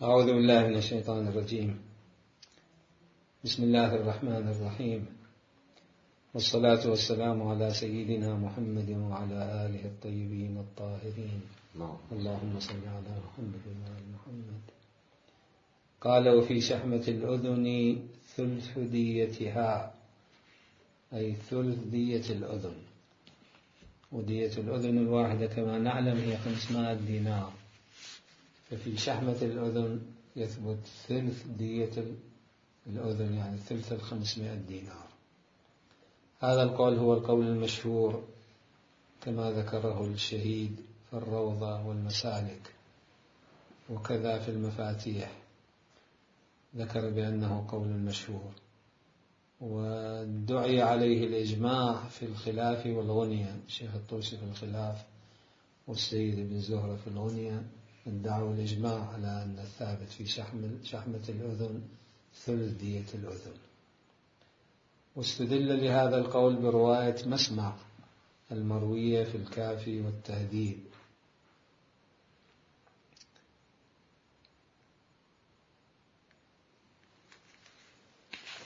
أعوذ بالله من الشيطان الرجيم. بسم الله الرحمن الرحيم، والصلاة والسلام على سيدنا محمد وعلى آله الطيبين الطاهرين. اللهم صل على محمد وعلى محمد. قال: وفي شحمة الأذن ثلث ديتها، أي ثلث دية الأذن. ودية الأذن الواحدة كما نعلم هي 500 دينار، ففي شحمة الأذن يثبت ثلث دية الأذن، يعني ثلث 500 دينار. هذا القول هو القول المشهور كما ذكره الشهيد في الروضة والمسالك، وكذا في المفاتيح ذكر بأنه قول مشهور، ودعي عليه الإجماع في الخلاف والغنية. الشيخ الطوسي في الخلاف والسيد بن زهرة في الغنية ادعوا الإجماع على أن الثابت في شحمة الأذن ثلث دية الأذن. واستدل لهذا القول برواية مسمع المروية في الكافي والتهذيب،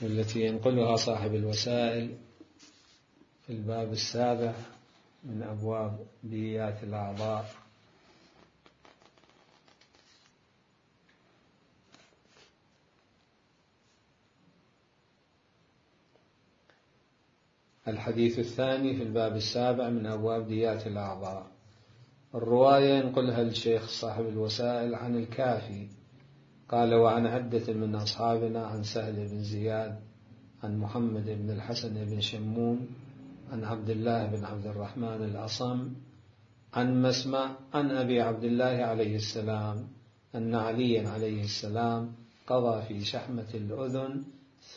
والتي ينقلها صاحب الوسائل في الباب 7 من أبواب ديات الأعضاء. الحديث الثاني في الباب 7 من أبواب ديات الأعضاء. الرواية ينقلها الشيخ صاحب الوسائل عن الكافي، قال: وعن عدة من أصحابنا عن سهل بن زياد عن محمد بن الحسن بن شمون عن عبد الله بن عبد الرحمن الأصم عن مسمع عن أبي عبد الله عليه السلام أن عليا عليه السلام قضى في شحمة الأذن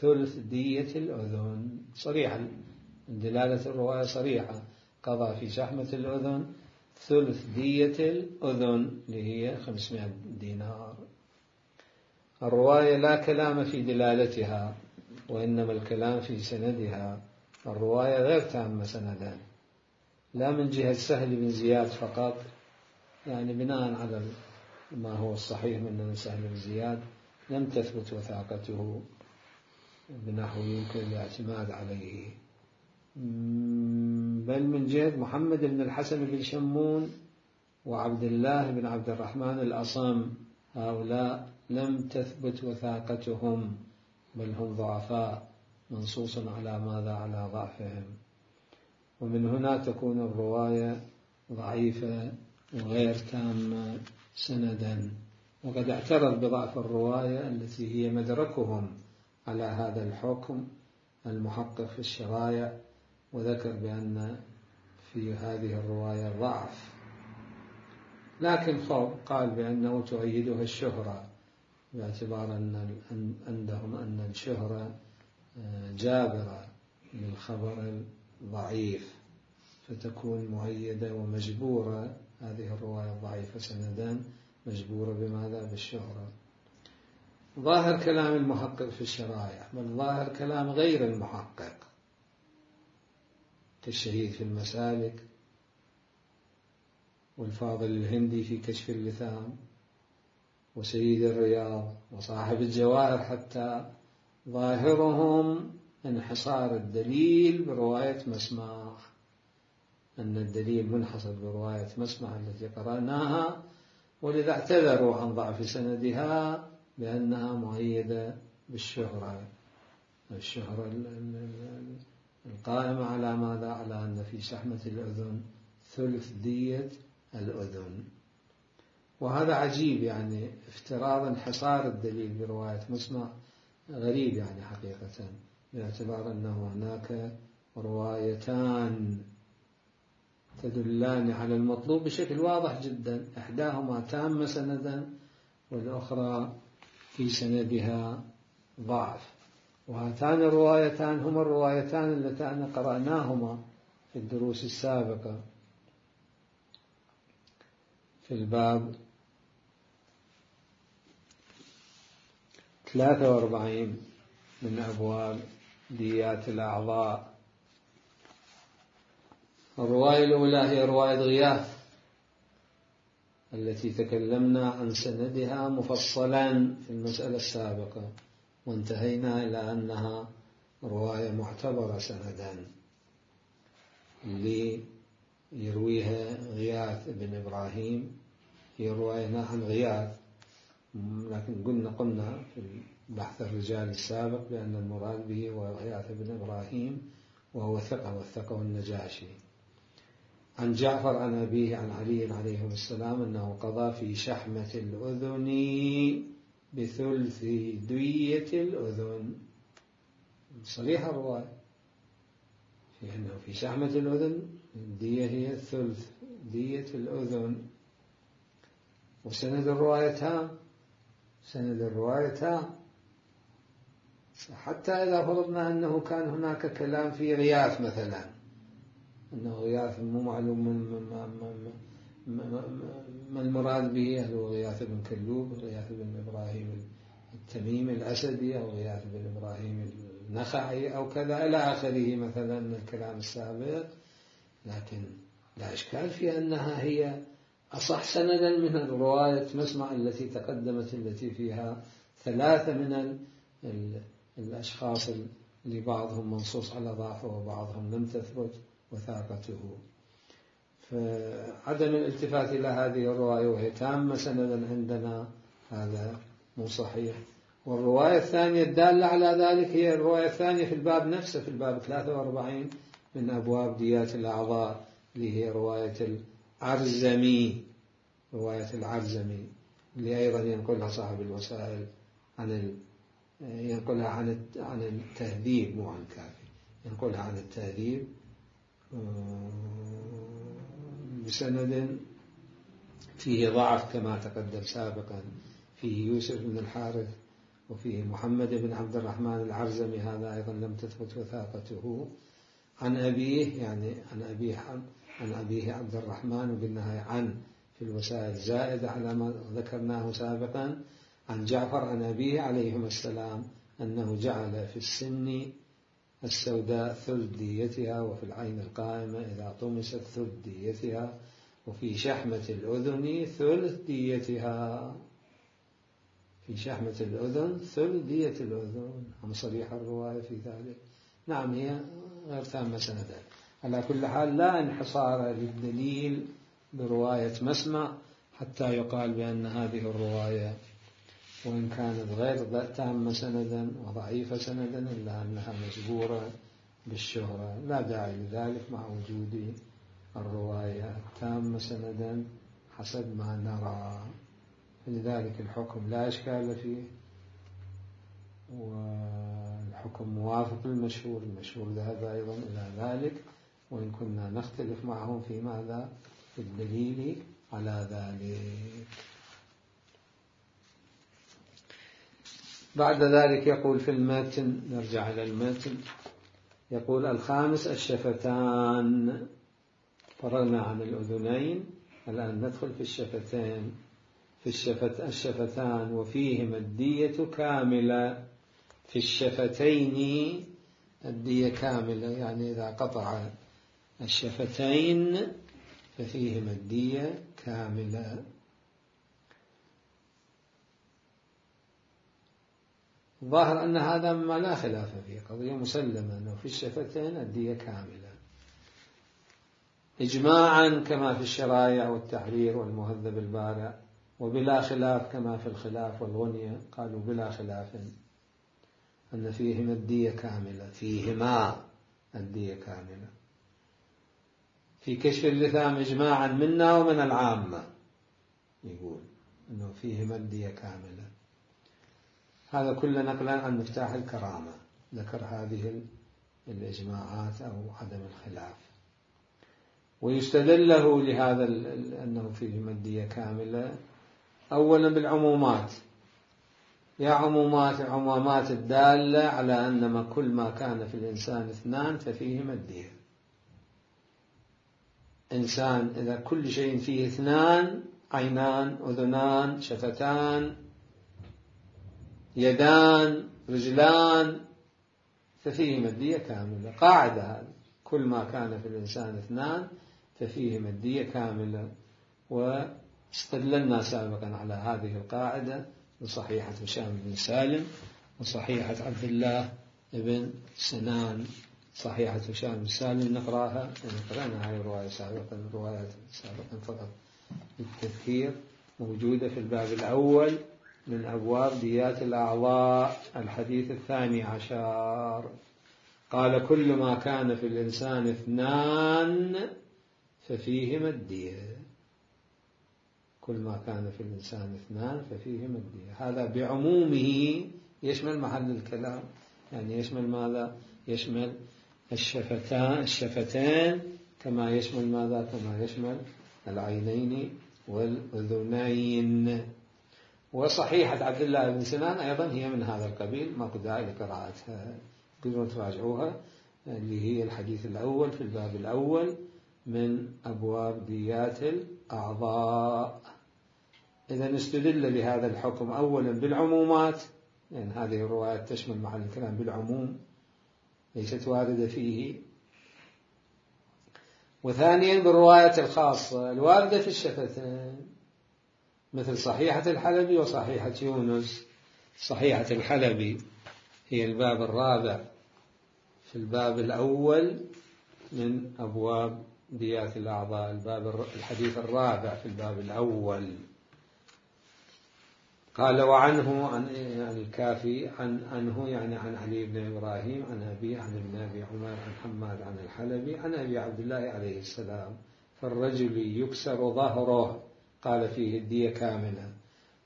ثلث دية الأذن. صريحة دلالة الرواية صريحة، قضى في شحمة الأذن ثلث دية الأذن اللي هي 500 دينار. الرواية لا كلام في دلالتها، وإنما الكلام في سندها. الرواية غير تامة سندا، لا من جهة سهل بن زياد فقط، يعني بناء على ما هو الصحيح من سهل بن زياد لم تثبت وثاقته بنحو يمكن الاعتماد عليه، بل من جهة محمد بن الحسن بن شمون وعبد الله بن عبد الرحمن الأصم، هؤلاء لم تثبت وثاقتهم، بل هم ضعفاء منصوص على ماذا؟ على ضعفهم. ومن هنا تكون الرواية ضعيفة وغير تامة سندا. وقد اعترض بضعف الرواية التي هي مدركهم على هذا الحكم المحقق في الشرايع، وذكر بأن في هذه الرواية ضعف، لكن قال بأنه تؤيدها الشهرة، باعتبار أن عندهم أن الشهرة جابرة للخبر الضعيف، فتكون مؤيدة ومجبورة. هذه الرواية الضعيفة سندا مجبورة بماذا؟ بالشهرة. ظاهر كلام المحقق في الشرائع، بل ظاهر كلام غير المحقق كالشهيد في المسالك والفاضل الهندي في كشف اللثام وسيد الرياض وصاحب الجواهر، حتى ظاهرهم انحصار الدليل برواية مسمع، أن الدليل منحصر برواية مسمع التي قرأناها، ولذا اعتذروا عن ضعف سندها بأنها مؤيدة بالشهرة، الشهرة القائمة على ماذا؟ على أن في شحمة الأذن ثلث دية الأذن. وهذا عجيب، يعني افتراض انحصار الدليل برواية مسمع غريب يعني حقيقة، باعتبار أنه هناك روايتان تدلان على المطلوب بشكل واضح جدا، إحداهما تامة سندا والأخرى في سندها ضعف. وهاتان الروايتان هما الروايتان اللتان قرأناهما في الدروس السابقة في الباب 43 من أبواب ديات الأعضاء. الرواية الأولى هي رواية غياث التي تكلمنا عن سندها مفصلا في المسألة السابقة، وانتهينا إلى أنها رواية معتبرة سندا اللي يرويها غياث بن إبراهيم. هي رواية عن غياث، لكن قلنا في بحث الرجال السابق بأن المراد به هو غياث بن إبراهيم، وهو ثقة وثقه النجاشي. عن جعفر عن أبيه عن علي عليه السلام أنه قضى في شحمة الأذن بثلث دية الأذن. صريح الرواية في أنه في شحمة الأذن الدية هي ثلث دية الأذن. وسند الرواية تام، سند الرواية تام، حتى إذا فرضنا أنه كان هناك كلام في غياث مثلا، أنه غياث مو معلوم ما المراد به، هل هو غياث بن كلوب، غياث بن إبراهيم التميمي الأسدي، أو غياث بن إبراهيم النخعي أو كذا إلى آخره مثلا من الكلام السابق، لكن لا إشكال في أنها هي أصح سندا من الرواية مسمع التي تقدمت، التي فيها ثلاثة من الأشخاص اللي بعضهم منصوص على ضعفه وبعضهم لم تثبت وثاقته. فعدم الالتفات إلى هذه الرواية وهي تامة سندا عندنا هذا مو صحيح. والرواية الثانية الدالة على ذلك هي الرواية الثانية في الباب نفسه، في الباب 43 من أبواب ديات الأعضاء، اللي هي رواية العرزمي، رواية العرزمي اللي أيضا ينقلها صاحب الوسائل ينقلها عن التهذيب، مو عن الكافي، ينقلها عن التهذيب بسند فيه ضعف كما تقدم سابقا، فيه يوسف بن الحارث وفيه محمد بن عبد الرحمن العرزمي، هذا أيضا لم تثبت وثاقته. عن أبيه، يعني عن أبيه عبد الرحمن، وقلنا عن في الوسائل زائدة على ما ذكرناه سابقا. عن جعفر عن أبيه عليهما السلام أنه جعل في السن السوداء ثلث ديتها، وفي العين القائمة إذا طمست ثلث ديتها، وفي شحمة الأذن ثلث ديتها. في شحمة الأذن ثلث دية الأذن. هم صريح الرواية في ذلك. نعم هي غير تامة سندا. على كل حال لا انحصار للدليل برواية مسمع حتى يقال بأن هذه الرواية وإن كانت غير تامة سندا وضعيفة سندا إلا أنها مجبورة بالشهرة، لا داعي لذلك مع وجود الرواية التامة سندا حسب ما نرى. لذلك الحكم لا إشكال فيه، والحكم موافق للمشهور، المشهور ذهب أيضا إلى ذلك، وإن كنا نختلف معهم في ماذا، في الدليل على ذلك. بعد ذلك يقول في المتن، نرجع إلى المتن، يقول الخامس الشفتان. فرغنا عن الأذنين، الآن ندخل في الشفتين. في الشفتان وفيهما الدية كاملة. في الشفتين الدية كاملة، يعني إذا قطع الشفتين ففيهما الدية كاملة. ظاهر أن هذا ما لا خلاف فيه، قضية مسلمة أنه في الشفتين الدية كاملة إجماعا كما في الشرائع والتحرير والمهذب البارع، وبلا خلاف كما في الخلاف والغنية، قالوا بلا خلاف أن فيهما الدية كاملة، فيهما الدية كاملة. في كشف اللثام إجماعا منا ومن العامة، يقول أنه فيهما الدية كاملة. هذا كله نقلا عن مفتاح الكرامة، ذكر هذه الإجماعات أو عدم الخلاف. ويستدل له لهذا أنه فيهما الدية كاملة أولا بالعمومات، يا عمومات الدالة على أن كل ما كان في الإنسان اثنان ففيهما الدية. إنسان إذا كل شيء فيه اثنان، عينان، أذنان، شفتان، يدان، رجلان، ففيهما الدية كاملة. قاعدة هذه، كل ما كان في الإنسان اثنان ففيهما الدية كاملة. استدللنا سابقا على هذه القاعدة بصحيحة هشام بن سالم وصحيحة عبد الله بن سنان. صحيحة هشام بن سالم نقرأها، قرأنا هذه الرواية سابقا، الروايات سابقا فقط التذكير، موجودة في الباب الأول من أبواب ديات الأعضاء، الحديث 12. قال: كل ما كان في الإنسان 2 ففيهما الدية. كل ما كان في الإنسان 2 ففيهما الدية. هذا بعمومه يشمل محل الكلام، يعني يشمل ماذا؟ يشمل الشفتين كما يشمل ماذا؟ كما يشمل العينين والأذنين. وصحيحة عبد الله بن سنان أيضا هي من هذا القبيل، ما قد داعي لقراءتها، تقدرون تراجعوها، اللي هي الحديث الأول في الباب الأول من أبواب ديات الأعضاء. إذا استدل لهذا الحكم أولا بالعمومات، لأن هذه الروايات تشمل محل الكلام بالعموم، ليست واردة فيه. وثانيا بالرواية الخاصة الواردة في الشفتين، مثل صحيحة الحلبي وصحيحة يونس. صحيحة الحلبي هي الباب الرابع في الباب الأول من أبواب ديات الأعضاء، الحديث الرابع في الباب الأول. قال: وعنه عن الكافي عنه يعني عن علي بن إبراهيم عن أبيه عن ابن أبي عمر عن حماد عن الحلبي عن أبي عبد الله عليه السلام: فالرجل يكسر ظهره، قال فيه الدية كاملة،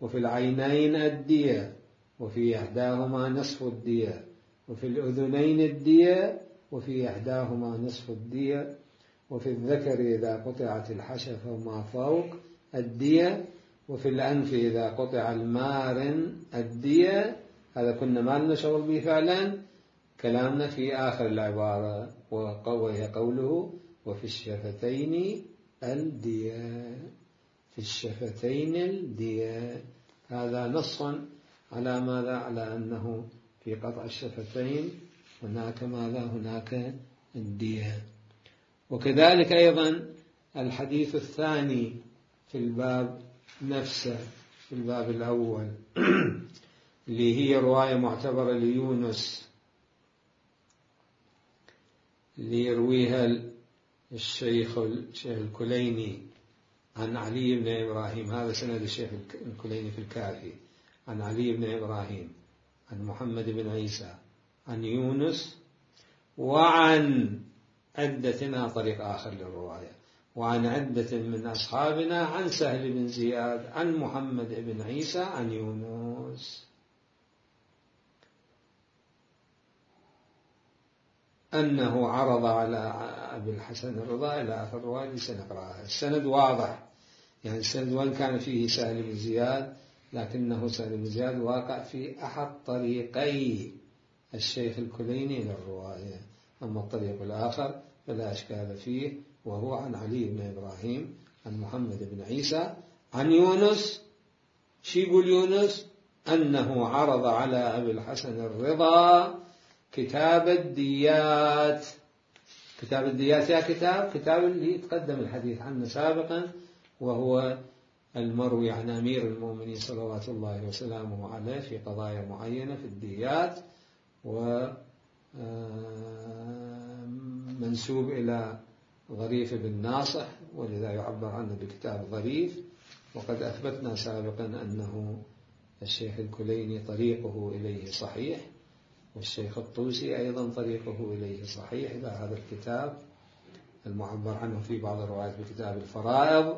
وفي العينين الدية، وفي إحداهما نصف الدية، وفي الأذنين الدية، وفي إحداهما نصف الدية، وفي الذكر إذا قطعت الحشفة وما فوق الدية، وفي الأنف إذا قطع المارن الدية. هذا كنا ما لنا شغل به فعلا، كلامنا في آخر العبارة، وهي قوله: وفي الشفتين الدية. في الشفتين الدية، هذا نص على ماذا؟ على أنه في قطع الشفتين هناك ماذا؟ هناك الدية. وكذلك أيضا الحديث الثاني في الباب نفسه في الباب الأول اللي هي رواية معتبرة ليونس، اللي يرويها الشيخ الكليني عن علي بن إبراهيم. هذا سند الشيخ الكليني في الكافي، عن علي بن إبراهيم عن محمد بن عيسى عن يونس، وعن عدة طريق آخر للرواية، وعن عدة من أصحابنا عن سهل بن زياد عن محمد بن عيسى عن يونس أنه عرض على أبي الحسن الرضا إلى آخر الرواية. سنقرأها. السند واضح، يعني السند وإن كان فيه سهل بن زياد، لكنه سهل بن زياد واقع في أحد طريقي الشيخ الكليني للرواية، أما الطريق الآخر فلا أشكال فيه، وهو عن علي بن إبراهيم عن محمد بن عيسى عن يونس. شو يقول يونس؟ أنه عرض على أبي الحسن الرضا كتاب الديات. كتاب الديات يا كتاب اللي تقدم الحديث عنه سابقا، وهو المروي عن أمير المؤمنين صلوات الله وسلامه عليه في قضايا معينة في الديات، ومنسوب إلى ظريف بن ناصح، ولذا يعبر عنه بكتاب ظريف. وقد أثبتنا سابقا أنه الشيخ الكليني طريقه إليه صحيح، والشيخ الطوسي أيضا طريقه إليه صحيح إلى هذا الكتاب المعبر عنه في بعض الروايات بكتاب الفرائض،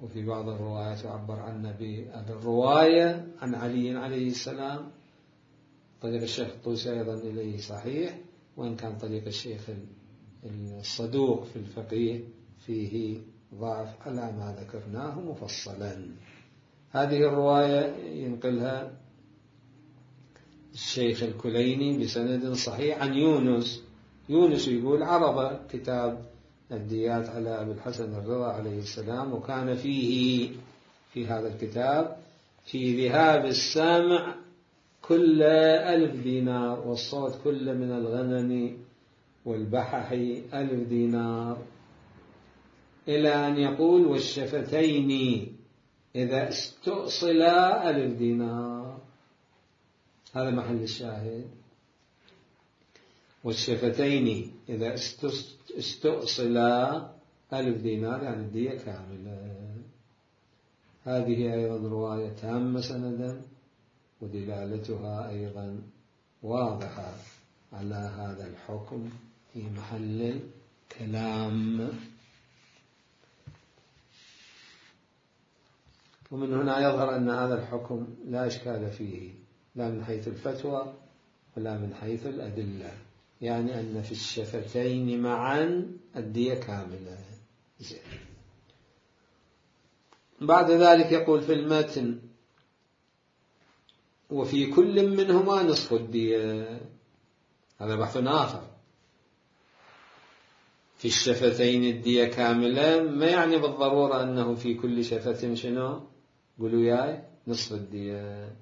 وفي بعض الروايات يعبر عنه بالرواية عن علي عليه السلام. طريق الشيخ الطوسي أيضا إليه صحيح، وإن كان طريق الشيخ الصدوق في الفقيه فيه ضعف على ما ذكرناه مفصلا. هذه الرواية ينقلها الشيخ الكليني بسند صحيح عن يونس. يونس يقول: عرض كتاب الديات على أبي الحسن الرضا عليه السلام، وكان فيه في هذا الكتاب في ذهاب السمع كل 1000 دينار، والصوت كل من الغنم والبحح 1000 دينار. إلى أن يقول والشفتين إذا استؤصلا 1000 دينار. هذا محل الشاهد. والشفتين إذا استؤصلا 1000 دينار يعني الدية كاملة. هذه أيضا رواية تامة سندا ودلالتها أيضا واضحة على هذا الحكم في محل الكلام. ومن هنا يظهر أن هذا الحكم لا إشكال فيه لا من حيث الفتوى ولا من حيث الأدلة، يعني أن في الشفتين معا الدية كاملة. بعد ذلك يقول في المتن وفي كل منهما نصف الدية. هذا بحث آخر. في الشفتين الدية كاملة ما يعني بالضرورة أنه في كل شفة شنو؟ قولوا ياي نصف الدية،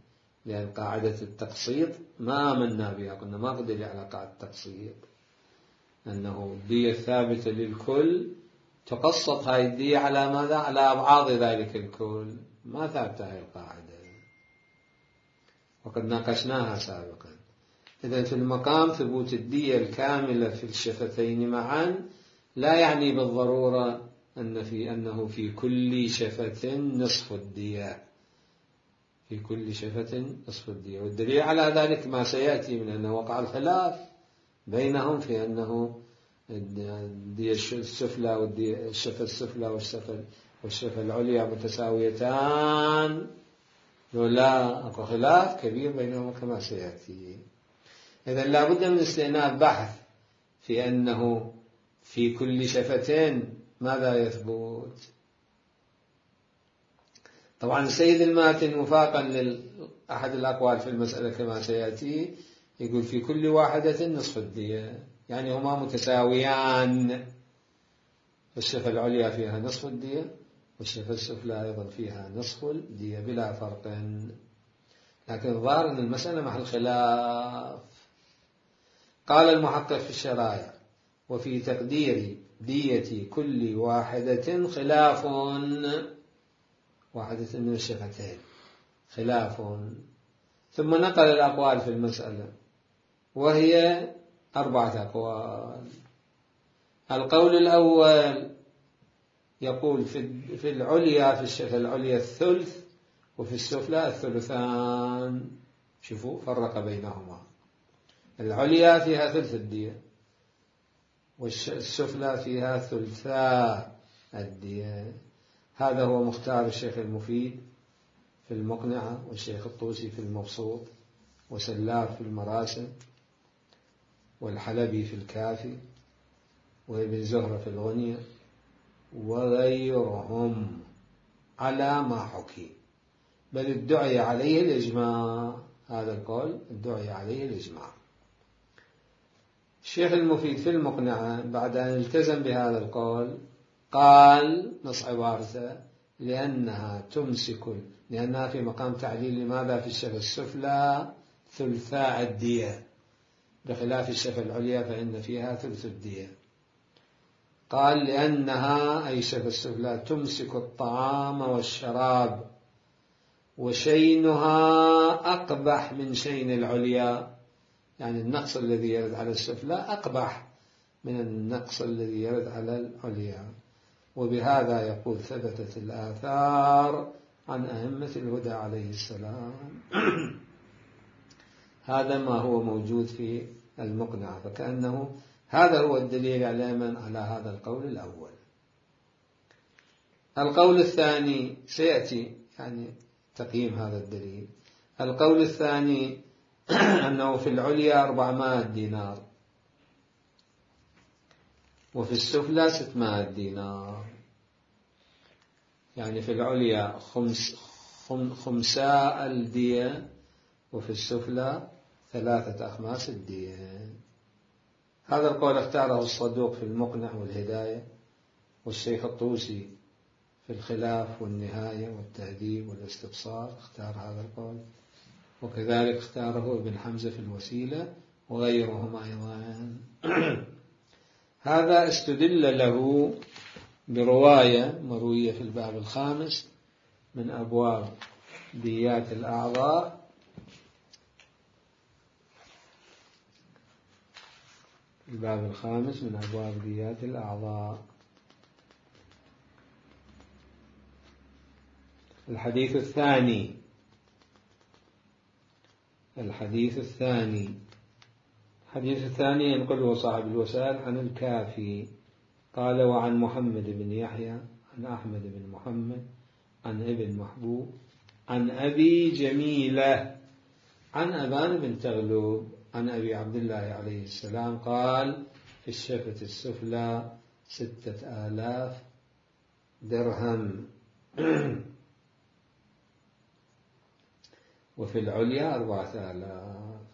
لأن قاعدة التقسيط ما آمنا بها، قلنا ما قدر على قاعدة التقسيط أنه الدية الثابتة للكل تقسط هاي الدية على ماذا؟ على أبعاض ذلك الكل. ما ثابتة هاي القاعدة وقد ناقشناها سابقا. إذن في المقام ثبوت الدية الكاملة في الشفتين معا لا يعني بالضرورة أنه في كل شفة نصف الدية، في كل شفة نصف الدية. والدليل على ذلك ما سيأتي من أنه وقع الخلاف بينهم في أنه الدية السفلى والشفة السفلى والشفة العليا متساويتان، ولا أكو خلاف كبير بينهم كما سيأتي. إذن لا بد من استئناف بحث في أنه في كل شفتين ماذا يثبت. طبعا السيد الماتن وفاقا لأحد الأقوال في المسألة كما سيأتي يقول في كل واحدة نصف الدية، يعني هما متساويان. الشفة العليا فيها نصف الدية والشفة السفلى أيضا فيها نصف الدية بلا فرق. لكن الظاهر أن المسألة محل خلاف. قال المحقق في الشرائع وفي تقدير دية كل واحدة خلاف، واحدة من الشفتين خلاف. ثم نقل الأقوال في المسألة وهي 4 أقوال. القول الأول يقول في العليا، في الشفة العليا الثلث وفي السفلى الثلثان. شوفوا فرق بينهما، العليا فيها ثلث الدية والسفلى فيها ثلثا الدية. هذا هو مختار الشيخ المفيد في المقنعة والشيخ الطوسي في المبسوط وسلاف في المراسم والحلبي في الكافي وابن زهرة في الغنية وغيرهم على ما حكي، بل ادعي عليه الإجماع. هذا القول ادعي عليه الإجماع. الشيخ المفيد في المقنعة بعد أن التزم بهذا القول قال نص عبارته لأنها في مقام تعليل لماذا في الشفة السفلى ثلثاء الدية بخلاف الشفة العليا فإن فيها ثلث الدية. قال لأنها أي الشفة السفلى تمسك الطعام والشراب وشينها أقبح من شين العليا، يعني النقص الذي يرد على السفلى أقبح من النقص الذي يرد على العليا. وبهذا يقول ثبتت الآثار عن أئمة الهدى عليه السلام. هذا ما هو موجود في المقنعة، فكأنه هذا هو الدليل على هذا القول الأول. القول الثاني سيأتي يعني تقييم هذا الدليل. القول الثاني أنه في العليا 400 دينار وفي السفلى 600 دينار، يعني في العليا خمساء الدية وفي السفلى 3/5 الدية. هذا القول اختاره الصدوق في المقنع والهداية والشيخ الطوسي في الخلاف والنهاية والتهذيب والاستبصار اختار هذا القول، وكذلك اختاره ابن حمزة في الوسيلة وغيرهم أيضا. هذا استدل له برواية مروية في الباب الخامس من أبواب ديات الأعضاء، الباب الخامس من أبواب ديات الأعضاء. الحديث الثاني ينقله صاحب الوسائل عن الكافي قال: وعن محمد بن يحيى عن أحمد بن محمد عن ابن محبوب عن أبي جميلة عن أبان بن تغلب عن أبي عبد الله عليه السلام قال: في الشفة السفلى 6000 درهم وفي العليا 4000.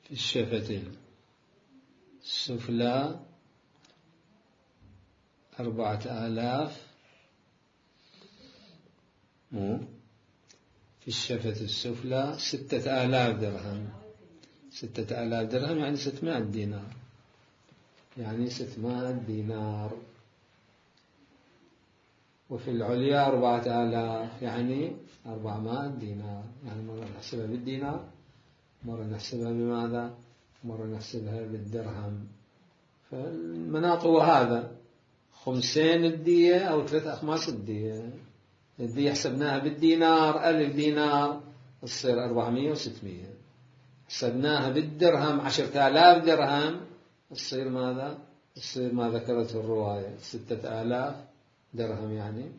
في الشفة السفلى 4000 في الشفة السفلى 6000 درهم. 6000 درهم يعني 600 دينار، يعني 600 دينار. وفي العليا 4000 يعني 400 دينار. يعني مرة نحسبها بالدينار، مرة نحسبها بماذا؟ مرة نحسبها بالدرهم. فالمناط هو هذا: 5 الدية أو 3 أخماس الدية. الدية حسبناها بالدينار 1000 دينار تصير 400 و600. حسبناها بالدرهم 10000 درهم تصير ماذا؟ تصير ما ذكرته الرواية 6000 درهم يعني،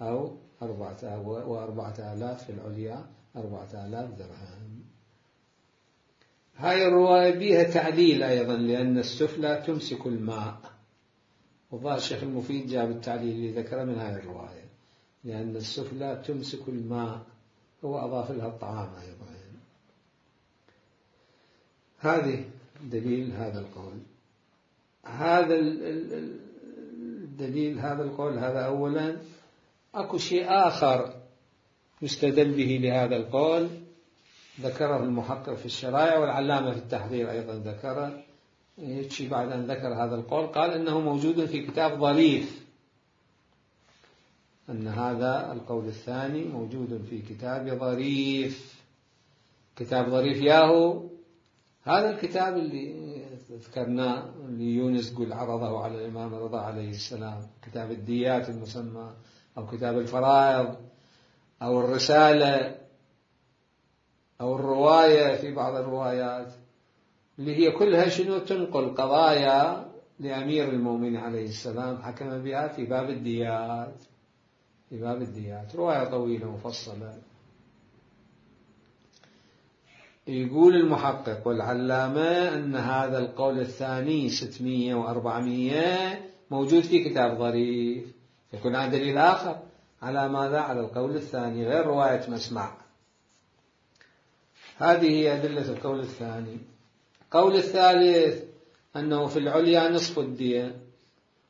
أو 4000 في العليا 4000 درهم. هاي الرواية بيها تعليل أيضا، لأن السفلى تمسك الماء، وظاهر الشيخ المفيد جاب التعليل اللي ذكره من هاي الرواية، لأن السفلى تمسك الماء، هو أضاف لها الطعام أيضا. هذه دليل هذا القول. هذا الدليل هذا القول هذا أولا. أكو شيء آخر يستدل به لهذا القول ذكره المحقق في الشرائع، والعلامة في التحرير أيضا ذكره. يكفي بعد أن ذكر هذا القول قال إنه موجود في كتاب ظريف، أن هذا القول الثاني موجود في كتاب ظريف. كتاب ظريف ياهو هذا الكتاب اللي ذكرناه، اللي يونس قل عرضه على الإمام الرضا عليه السلام، كتاب الديات المسمى، أو كتاب الفرائض، أو الرسالة، أو الرواية في بعض الروايات، اللي هي كلها شنو؟ تنقل قضايا لأمير المؤمنين عليه السلام حكم بها في باب الديات. في باب الديات رواية طويلة مفصلة. يقول المحقق والعلامة أن هذا القول الثاني 600 و400 موجود في كتاب ظريف، يكون عن دليل آخر على ماذا؟ على القول الثاني غير رواية مسمع. هذه هي أدلة القول الثاني. القول الثالث أنه في العليا نصف الدية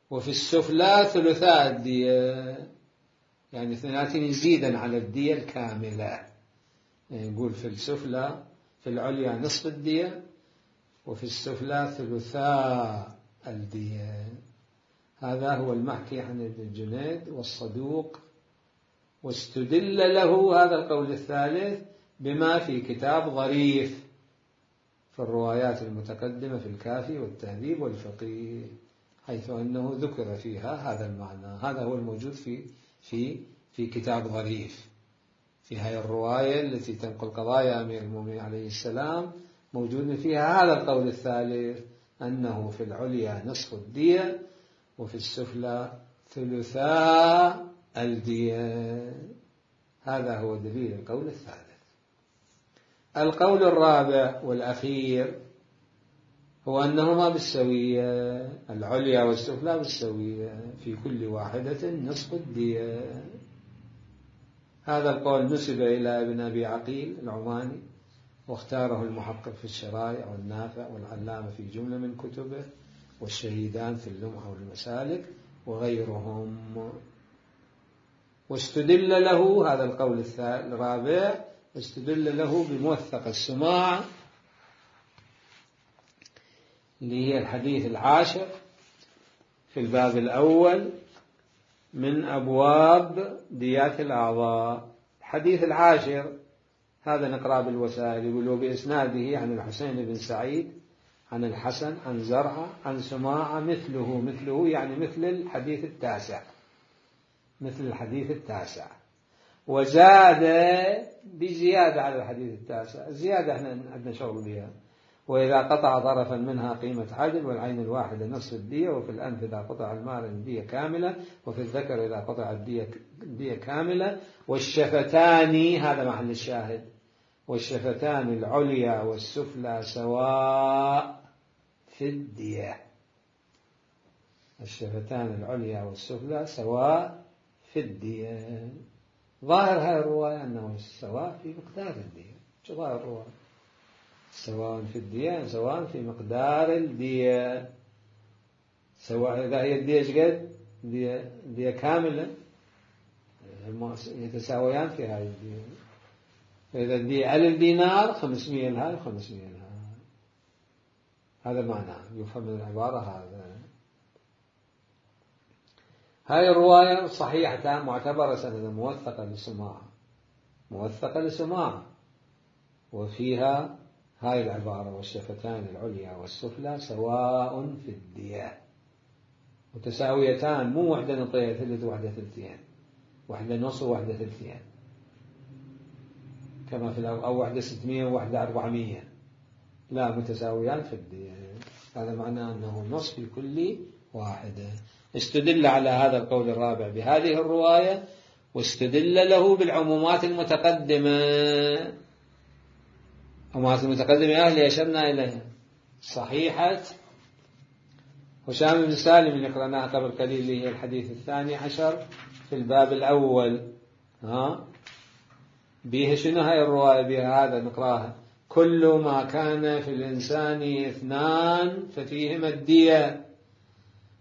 وفي السفلى ثلثاء الدية، يعني 2 يزيدا على الدية الكاملة. يعني يقول في السفلى في العليا نصف الدية وفي السفلى ثلثاء الدية. هذا هو المحكي عن ابن الجنيد والصدوق، واستدل له هذا القول الثالث بما في كتاب ظريف في الروايات المتقدمة في الكافي والتهذيب والفقيه، حيث أنه ذكر فيها هذا المعنى. هذا هو الموجود في كتاب ظريف. في هذه الرواية التي تنقل قضايا أمير المؤمنين عليه السلام موجود فيها هذا القول الثالث، أنه في العليا نصف الدية وفي السفلى ثلثاء الدية. هذا هو دليل القول الثالث. القول الرابع والأخير هو أنهما بالسوية، العليا والسفلى بالسوية، في كل واحدة نصف الدية. هذا القول نسب إلى ابن أبي عقيل العماني، واختاره المحقق في الشرائع والنافع والعلامة في جملة من كتبه، والشهيدان في اللمحة والمسالك وغيرهم. واستدل له هذا القول الرابع، استدل له بموثق السماع اللي هي الحديث العاشر في الباب الأول من أبواب ديات الأعضاء. الحديث العاشر هذا نقرأ بالوسائل، يقول وبإسناده عن الحسين بن سعيد عن الحسن عن زرعة عن سماعة مثله يعني مثل الحديث التاسع، مثل الحديث التاسع، وزاد بزيادة على الحديث التاسع. الزيادة احنا عندنا شغل بها. وإذا قطع طرفا منها قيمة عدل، والعين الواحدة نصف الدية، وفي الأنف إذا قطع المال الدية كاملة، وفي الذكر إذا قطع الدية كاملة، والشفتان هذا محل الشاهد، والشفتان العليا والسفلى سواء في الدية. الشفتان العليا والسفلى سواء في الدية. ظاهر هذه الرواية أنه سواء في مقدار الدية. شو ظاهر الرواية؟ سواء في الدية سواء في مقدار الدية. سواء إذا هي الدية قد دية كاملة يتساويان في هذه الدية. فإذا الدية 1000 دينار 500 لها 500 لها. هذا معناه يفهم من العبارة هذا. هذه الرواية صحيحة معتبرة سندا موثقة لسماعة، وفيها هاي العبارة والشفتان العليا والسفلى سواء في الدية، متساويتان، مو واحدة نطية ثلث واحدة ثلثين، واحدة نص وواحدة ثلثين كما في الأول، أو واحدة 600 وواحدة 400، لا، متساويان في الدية. هذا معناه أنه نص في كل واحدة. استدل على هذا القول الرابع بهذه الرواية، واستدل له بالعمومات المتقدمة. العمومات المتقدمة اللي أشرنا إليها صحيحة هشام بن سالم اللي قرأناها قبل قليل، اللي هي الحديث 12 في الباب الأول. بها شنو هاي الرواية؟ بها هذا نقراها: كل ما كان في الإنسان 2 ففيهما الدية،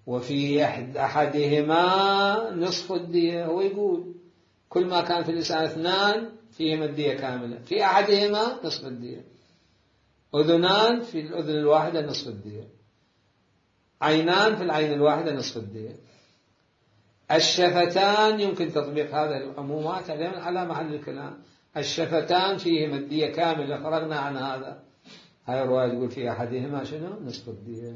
وفي أحدهما نصف الدية. هو يقول كل ما كان في الإنسان 2 فيهما الدية كاملة، في أحدهما نصف الدية. أذنان في الأذن الواحدة نصف الدية، عينان في العين الواحدة نصف الدية. الشفتان يمكن تطبيق هذا العمومات على محل الكلام. الشفتان فيهما الدية كاملة، فرغنا عن هذا. هاي الرواية تقول في أحدهما شنو؟ نصف الدية.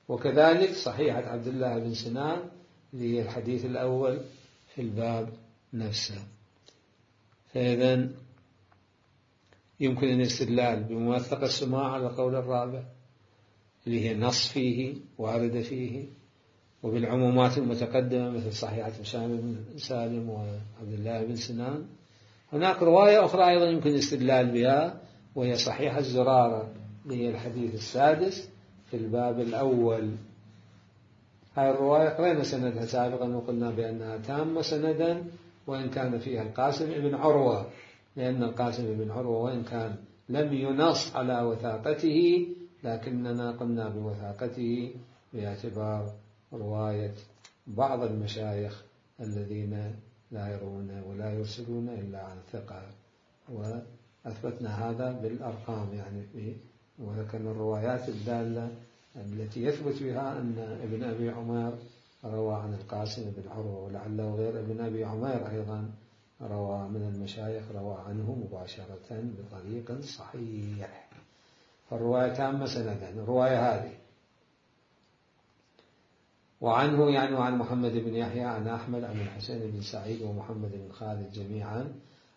وكذلك صحيحة عبد الله بن سنان اللي هي الحديث الأول في الباب نفسه. فإذا يمكن الاستدلال بموثق السماع على القول الرابع اللي هي نص فيه وارد فيه، وبالعمومات المتقدمة مثل صحيحة هشام بن سالم وعبد الله بن سنان. هناك رواية أخرى أيضا يمكن الاستدلال بها، وهي صحيحة الزرارة اللي هي الحديث السادس في الباب الأول. هذه الرواية قرأنا سندها سابقا وقلنا بأنها تامة سندا، وإن كان فيها القاسم بن عروة، لأن القاسم بن عروة وإن كان لم ينص على وثاقته، لكننا قمنا بوثاقته باعتبار رواية بعض المشايخ الذين لا يرون ولا يرسلون إلا عن ثقة، وأثبتنا هذا بالأرقام يعني وذكرنا الروايات الدالة التي يثبت بها أن ابن أبي عمر روى عن القاسم بن عروة، ولعله غير ابن أبي عمر أيضا روى من المشايخ روى عنه مباشرة بطريق صحيح. فالرواية تامة سندا الرواية هذه. وعنه يعني وعن محمد بن يحيى عن أحمد عن الحسين بن سعيد ومحمد بن خالد جميعا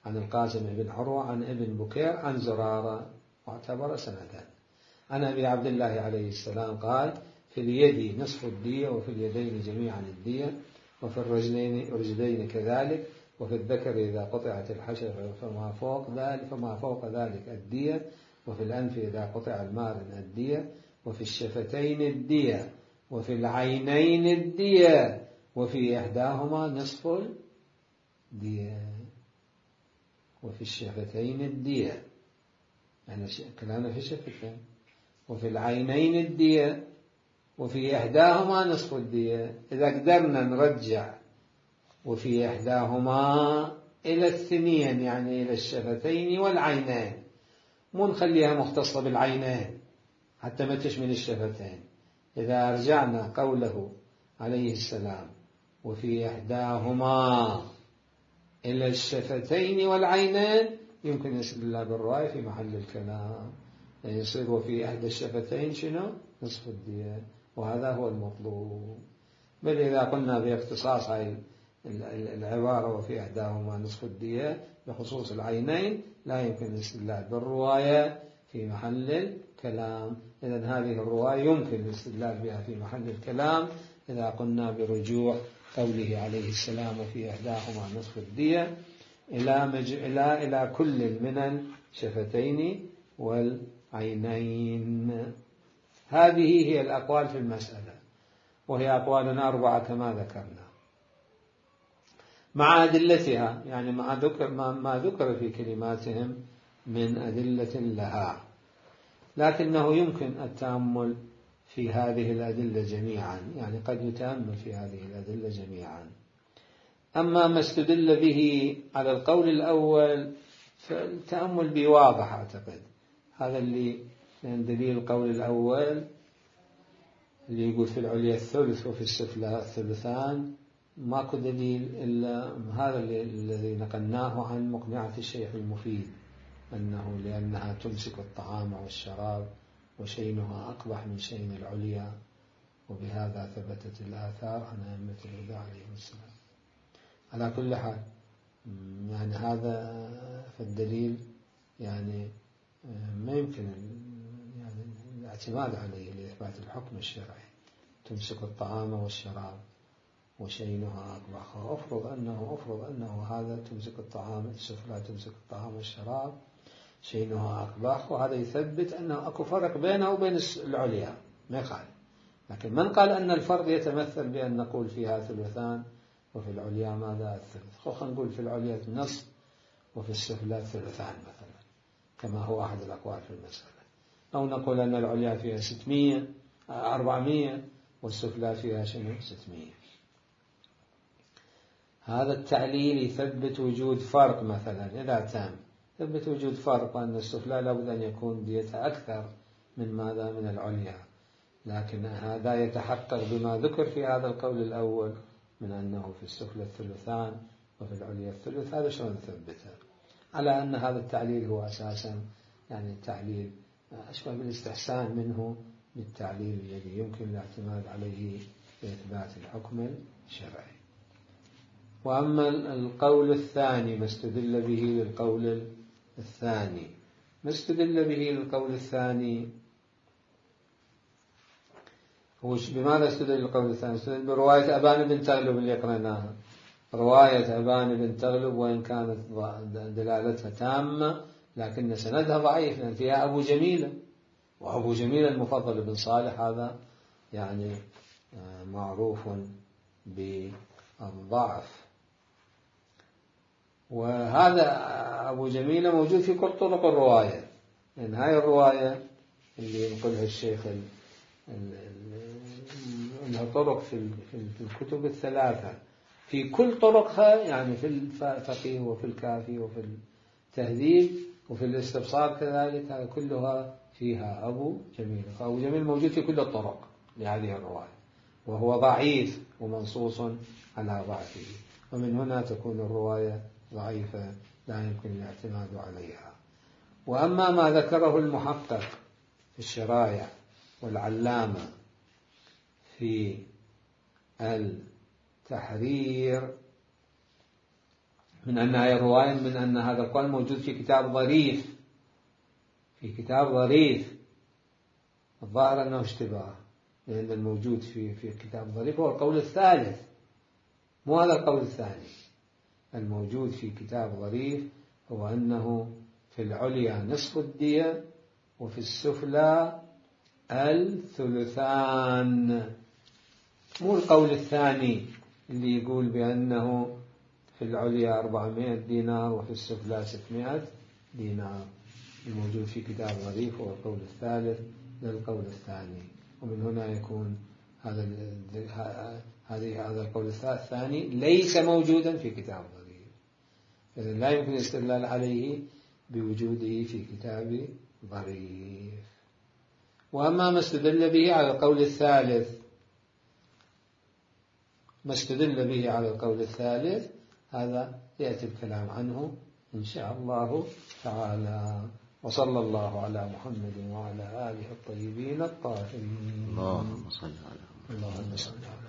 عن القاسم بن عروة عن ابن بكير عن زرارة، معتبر سندا. عن أبي عبد الله عليه السلام قال: في اليد نصف الدية، وفي اليدين جميعا الدية، وفي الرجلين كذلك، وفي الذكر إذا قطعت الحشفة فما فوق ذلك الدية، وفي الأنف إذا قطع المارن الدية، وفي الشفتين الدية، وفي العينين الدية، وفي إحداهما نصف الدية. وفي الشفتين الدية يعني كلامنا في الشفتين. وفي العينين الدية، وفي إحداهما نصف الدية. إذا قدرنا نرجع وفي إحداهما إلى الثنين يعني إلى الشفتين والعينين، مو نخليها مختصة بالعينين، حتى ما تشمل الشفتين. إذا رجعنا قوله عليه السلام وفي إحداهما إلى الشفتين والعينين، يمكن الاستدلال بالرواية في محل الكلام، يصير وفي إحدى الشفتين شنو؟ نصف الدية، وهذا هو المطلوب. بل إذا قلنا باختصاص هاي العبارة وفي إحداهما نصف الدية بخصوص العينين، لا يمكن الاستدلال بالرواية في محل الكلام. إذن هذه الرواية يمكن الاستدلال بها في محل الكلام إذا قلنا برجوع قوله عليه السلام وفي إحداهما نصف الدية إلى كل من الشفتين والعينين. هذه هي الأقوال في المسألة، وهي أقوال 4 كما ذكرنا مع أدلتها، يعني ما ذكر في كلماتهم من أدلة لها، لكنه يمكن التأمل في هذه الأدلة جميعا، يعني قد يتأمل في هذه الأدلة جميعا. أما ما استدل به على القول الأول فالتأمل به واضح أعتقد. هذا اللي من دليل القول الأول اللي يقول في العليا الثلث وفي السفلى الثلثان، ماكو دليل إلا هذا الذي نقلناه عن مقنعة الشيخ المفيد، أنه لأنها تمسك الطعام والشراب وشينها أقبح من شين العليا، وبهذا ثبتت الآثار عن أئمة الهدى عليهم السلام. على كل حال يعني هذا فالدليل يعني ما يمكن يعني الاعتماد عليه لإثبات الحكم الشرعي. تمسك الطعام والشراب وشينها أقبح، أفرض أنه هذا تمسك الطعام السفلى تمسك الطعام والشراب شينها أقبح، وهذا يثبت أنه أكو فرق بينه وبين العليا، ما يخالف. لكن من قال أن الفرق يتمثل بأن نقول فيها ثلثان وفي العليا ماذا الثلث؟ خلينا نقول في العليا النصف وفي السفلى ثلثان مثلا، كما هو أحد الأقوال في المسألة. أو نقول أن العليا فيها 400 والسفلى فيها 600. هذا التعليل يثبت وجود فرق مثلا، إذا تم يثبت وجود فرق، وأن السفلى لابد أن يكون ديتها أكثر من ماذا؟ من العليا. لكن هذا يتحقق بما ذكر في هذا القول الأول من أنه في السفلى الثلثان وفي العليا الثلث. هذا شلون نثبته؟ على أن هذا التعليل هو أساسا يعني تعليل أشبه بالاستحسان منه بالتعليل الذي يمكن الاعتماد عليه لإثبات الحكم الشرعي. وأما القول الثاني ما استدل به للقول الثاني، ما استدل به للقول الثاني هو بماذا استدل للقول الثاني؟ استدل برواية أبان بن تغلب اللي قرأناها، رواية أبان بن تغلب وإن كانت دلالتها تامة لكن سندها ضعيف، لأن فيها أبو جميلة، وأبو جميلة المفضل بن صالح هذا يعني معروف بالضعف. وهذا أبو جميلة موجود في كل طرق الرواية، لأن هاي الرواية اللي ينقلها الشيخ لها طرق في الكتب الثلاثة، في كل طرقها يعني في الفقيه وفي الكافي وفي التهذيب وفي الاستبصار كذلك، هذه كلها فيها أبو جميل. فأبو جميل موجود في كل الطرق لهذه الرواية، وهو ضعيف ومنصوص على ضعفه، ومن هنا تكون الرواية ضعيفة لا يمكن الاعتماد عليها. وأما ما ذكره المحقق في الشرايع والعلامة في التحرير من أن هذه الرواية من أن هذا القول موجود في كتاب ظريف، في كتاب ظريف، الظاهر أنه اشتباه، لأن الموجود في كتاب ظريف هو القول الثالث، مو هذا القول الثاني. الموجود في كتاب ظريف هو أنه في العليا نصف الدية وفي السفلى الثلثان، مو القول الثاني اللي يقول بأنه في العليا 400 دينار وفي السفلى 600 دينار. الموجود في كتاب ظريف هو القول الثالث للقول الثاني، ومن هنا يكون هذا القول الثاني ليس موجودا في كتاب ظريف، إذن لا يمكن الاستدلال عليه بوجوده في كتاب ظريف. وأما ما استدل به على القول الثالث، ما استدل به على القول الثالث هذا يأتي الكلام عنه إن شاء الله تعالى. وصلى الله على محمد وعلى آله الطيبين الطاهرين. اللهم صل على محمد. اللهم صل على